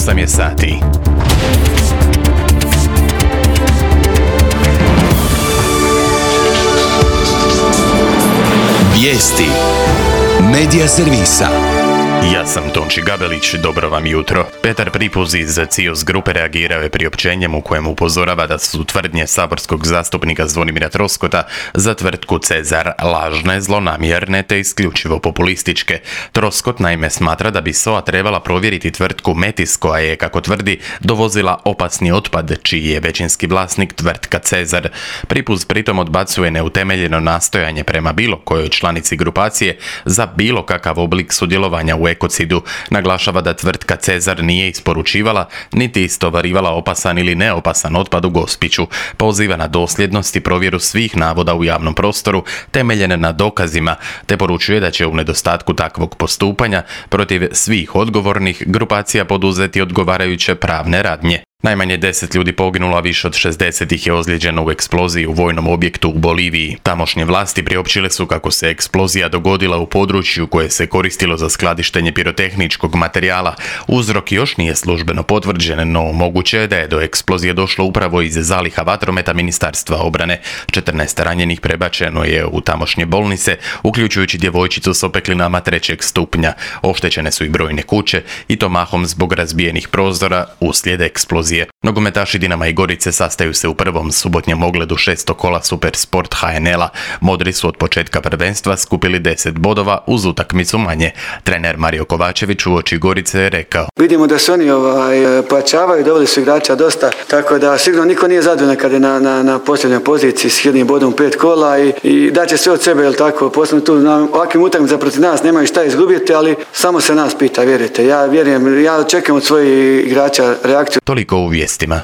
8 je sati. Vijesti Medija servisa. Ja sam Tonči Gabelić, dobro vam jutro. Petar Pripuz iz CIOS grupe reagirao je priopćenjem u kojem upozorava da su tvrdnje saborskog zastupnika Zvonimira Troskota za tvrtku Cezar lažne, zlonamjerne te isključivo populističke. Troskot naime smatra da bi SOA trebala provjeriti tvrtku Metis koja je, kako tvrdi, dovozila opasni otpad, čiji je većinski vlasnik tvrtka Cezar. Pripuz pritom odbacuje neutemeljeno nastojanje prema bilo kojoj članici grupacije za bilo kakav oblik sudjelovanja u ekocidu. Naglašava da tvrtka Cezar nije isporučivala niti istovarivala opasan ili neopasan otpad u Gospiću. Poziva na dosljednost i provjeru svih navoda u javnom prostoru temeljene na dokazima, te poručuje da će u nedostatku takvog postupanja protiv svih odgovornih grupacija poduzeti odgovarajuće pravne radnje. Najmanje 10 ljudi poginulo, a više od 60 ih je ozlijeđeno u eksploziji u vojnom objektu u Boliviji. Tamošnje vlasti priopćile su kako se eksplozija dogodila u području koje se koristilo za skladištenje pirotehničkog materijala. Uzrok još nije službeno potvrđen, no moguće je da je do eksplozije došlo upravo iz zaliha vatrometa Ministarstva obrane. 14 ranjenih prebačeno je u tamošnje bolnice, uključujući djevojčicu s opeklinama 3. stupnja. Oštećene su i brojne kuće, i to mahom zbog razbijenih prozora uslijed eksplozije. Nogometaši Dinama i Gorice sastaju se u prvom subotnjem ogledu 6. kola Supersport HNL-a. Modri su od početka prvenstva skupili 10 bodova uz utakmicu manje. Trener Mario Kovačević uoči Gorice je rekao: Vidimo da se oni pojačavaju, doveli su igrača dosta, tako da sigurno niko nije zadovoljan kad je na posljednjoj poziciji s jednim bodom 5 kola i daće sve od sebe, jel tako, posebno tu na ovakvim utakmicama protiv nas nemaju šta izgubiti, ali samo se nas pita, vjerujte. Ja vjerujem, ja očekujem od svojih igrača reakciju. Toliko u vijestima.